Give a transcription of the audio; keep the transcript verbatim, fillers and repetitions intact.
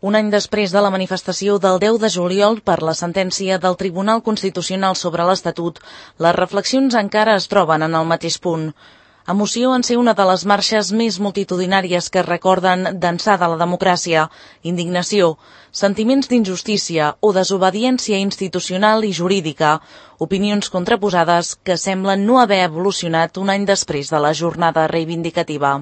Un any després de la manifestació del deu de juliol per la sentència del Tribunal Constitucional sobre l'Estatut, les reflexions encara es troben en el mateix punt. Emoció en ser una de les marxes més multitudinàries que recorden d'ençà de la democràcia, indignació, sentiments d'injustícia o desobediència institucional i jurídica, opinions contraposades que semblen no haver evolucionat un any després de la jornada reivindicativa.